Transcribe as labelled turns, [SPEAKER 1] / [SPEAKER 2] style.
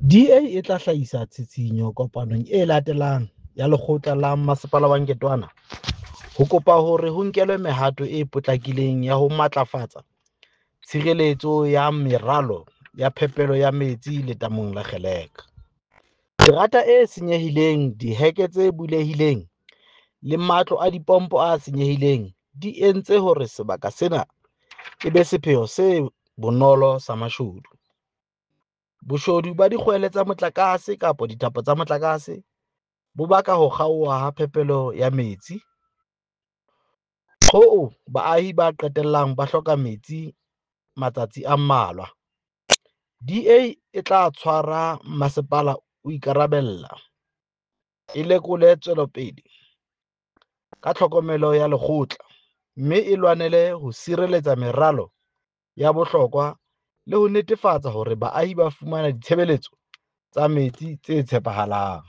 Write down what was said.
[SPEAKER 1] DA e tla hlahisa tshitshinyo kopanong e latelang ya lekgotla la Masepala wa Nketoana ho kopa hore ho nkelwe mehato e potlakileng ya ho matlafatsa tshireletso ya meralo ya phepelo ya metsi letamong la Gcaleka. Terata e senyehileng, diheke tse bulehileng le matlo a dipompo a senyehileng di entse hore sebaka sena e be sepheo se bonolo sa mashodu. Boshodu ba dikgwele tsa motlakase kapa dithapo tsa motlakase bo baka ho kgaoha ha phepelo ya metsi, hoo baahi ba qetellang ba hloka metsi matsatsi a mmalwa. DA e tla tshwara masepala o ikarabella, e lekole tswelopele ka tlhokomelo ya lekgotla, mme e lwanele ho sireletsa meralo ya bohlokwa le ho netefatsa hore baahi ba fumana ditshebeletso tsa metsi tse tshepahalang.